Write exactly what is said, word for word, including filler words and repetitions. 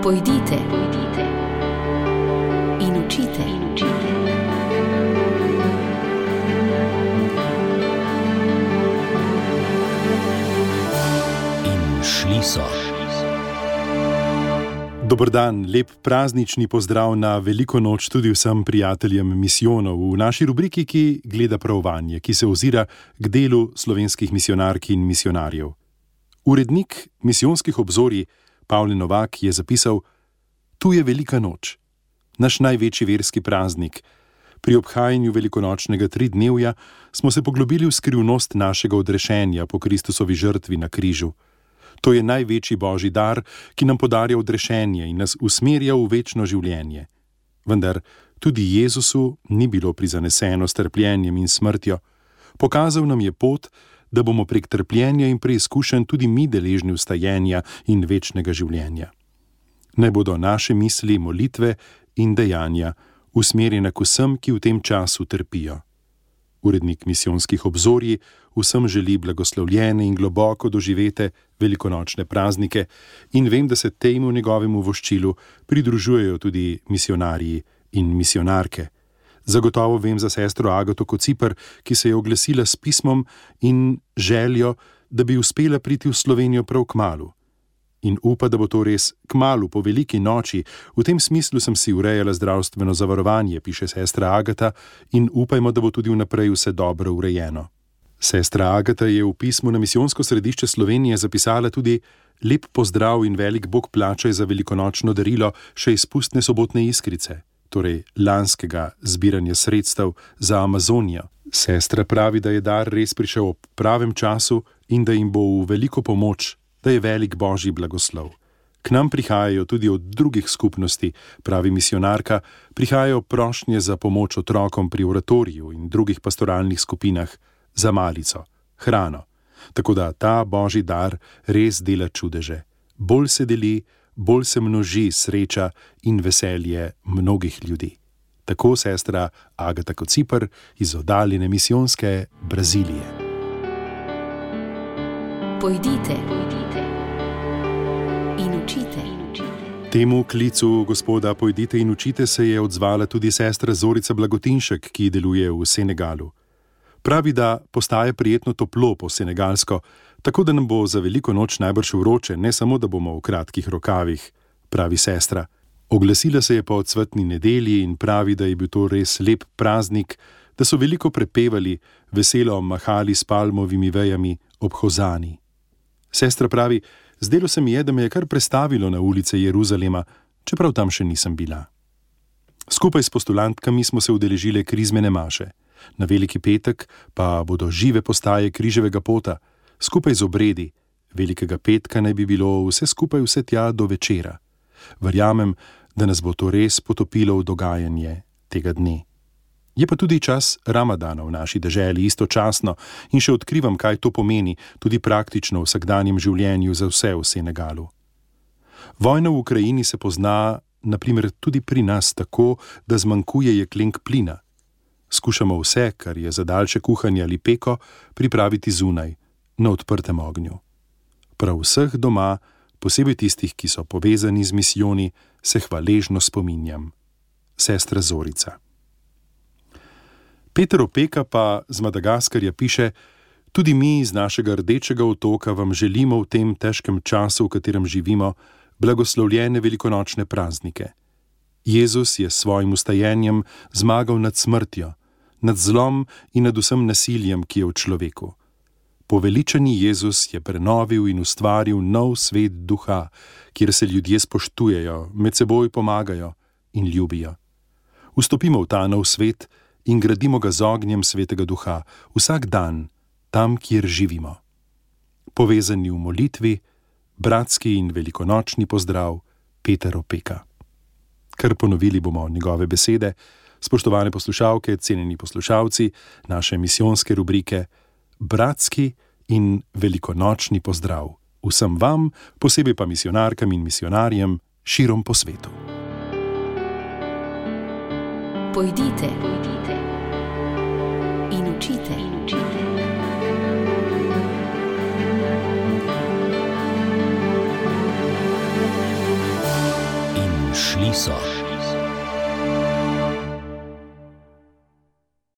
Pojdite, pojdite in učite, in učite. In šli so. Dober dan, lep praznični pozdrav na veliko noč tudi vsem prijateljem misijonov v naši rubriki, ki gleda prav vanje, ki se ozira k delu slovenskih misijonark in misijonarjev. Urednik misijonskih obzorij Pavle Novak je zapisal: Tu je velika noč, naš največji verski praznik. Pri obhajanju velikonočnega tridnevja smo se poglobili v skrivnost našega odrešenja po Kristusovi žrtvi na križu. To je največji božji dar, ki nam podarja odrešenje in nas usmerja v večno življenje. Vendar tudi Jezusu ni bilo prizaneseno s trpljenjem in smrtjo. Pokazal nam je pot, da bomo prek trpljenja in preizkušenj tudi mi deležni vstajenja in večnega življenja. Naj bodo naše misli, molitve in dejanja usmerjene k vsem, ki v tem času trpijo. Urednik misijonskih obzorij vsem želi blagoslovljene in globoko doživete velikonočne praznike in vem, da se temu njegovemu voščilu pridružujejo tudi misijonarji in misijonarke. Zagotovo vem za sestro Agato Kociper, ki se je oglasila s pismom in željo, da bi uspela priti v Slovenijo prav kmalu. In upa, da bo to res kmalu po veliki noči. V tem smislu sem si urejala zdravstveno zavarovanje, piše sestra Agata, in upajmo, da bo tudi vnaprej vse dobro urejeno. Sestra Agata je v pismu na Misijonsko središče Slovenije zapisala tudi: Lep pozdrav in velik Bog plačaj za velikonočno darilo še izpustne sobotne iskrice, torej lanskega zbiranja sredstev za Amazonijo. Sestra pravi, da je dar res prišel ob pravem času in da jim bo v veliko pomoč, da je velik božji blagoslov. K nam prihajajo tudi od drugih skupnosti, pravi misijonarka, prihajajo prošnje za pomoč otrokom pri oratoriju in drugih pastoralnih skupinah, za malico, hrano. Tako da ta božji dar res dela čudeže. Bolj se deli, bolj se množi sreča in veselje mnogih ljudi. Tako sestra Agata Kociper iz oddaljene misijonske Brazilije. Pojdite, pojdite in učite, in učite. Temu klicu gospoda Pojdite in učite se je odzvala tudi sestra Zorica Blagotinšek, ki deluje v Senegalu. Pravi, da postaje prijetno toplo po senegalsko, tako da nam bo za veliko noč najbrž vroče, ne samo da bomo v kratkih rokavih, pravi sestra. Oglasila se je po odsvetni nedelji in pravi, da je bil to res lep praznik, da so veliko prepevali, veselo mahali s palmovimi vejami ob Hozani. Sestra pravi: zdelo se mi je, da me je kar prestavilo na ulice Jeruzalema, čeprav tam še nisem bila. Skupaj s postulantkami smo se udeležile krizmene maše. Na veliki petek pa bodo žive postaje križevega pota, skupaj z obredi. Velikega petka naj bi bilo vse skupaj vse tja do večera. Verjamem, da nas bo to res potopilo v dogajanje tega dne. Je pa tudi čas Ramadana v naši deželi istočasno in še odkrivam, kaj to pomeni, tudi praktično v vsakdanjem življenju za vse v Senegalu. Vojna v Ukrajini se pozna, na primer, tudi pri nas tako, da zmanjkuje jeklenk plina. Skušamo vse, kar je za daljše kuhanje ali peko, pripraviti zunaj, na odprtem ognju. Prav vseh doma, posebej tistih, ki so povezani z misijoni, se hvaležno spominjam. Sestra Zorica. Peter Opeka pa z Madagaskarja piše: Tudi mi z našega rdečega otoka vam želimo v tem težkem času, v katerem živimo, blagoslovljene velikonočne praznike. Jezus je s svojim vstajenjem zmagal nad smrtjo, nad zlom in nad vsem nasiljem, ki je v človeku. Poveličani Jezus je prenovil in ustvaril nov svet duha, kjer se ljudje spoštujejo, med seboj pomagajo in ljubijo. Vstopimo v ta nov svet in gradimo ga z ognjem svetega duha, vsak dan, tam, kjer živimo. Povezani v molitvi, bratski in velikonočni pozdrav, Peter Opeka. Kar ponovili bomo njegove besede. Spoštovane poslušalke, cenjeni poslušalci naše misijonske rubrike, bratski in velikonočni pozdrav vsem vam, posebej pa misijonarkam in misijonarjem širom po svetu. Pojdite, pojdite in učite, in učite. šli so.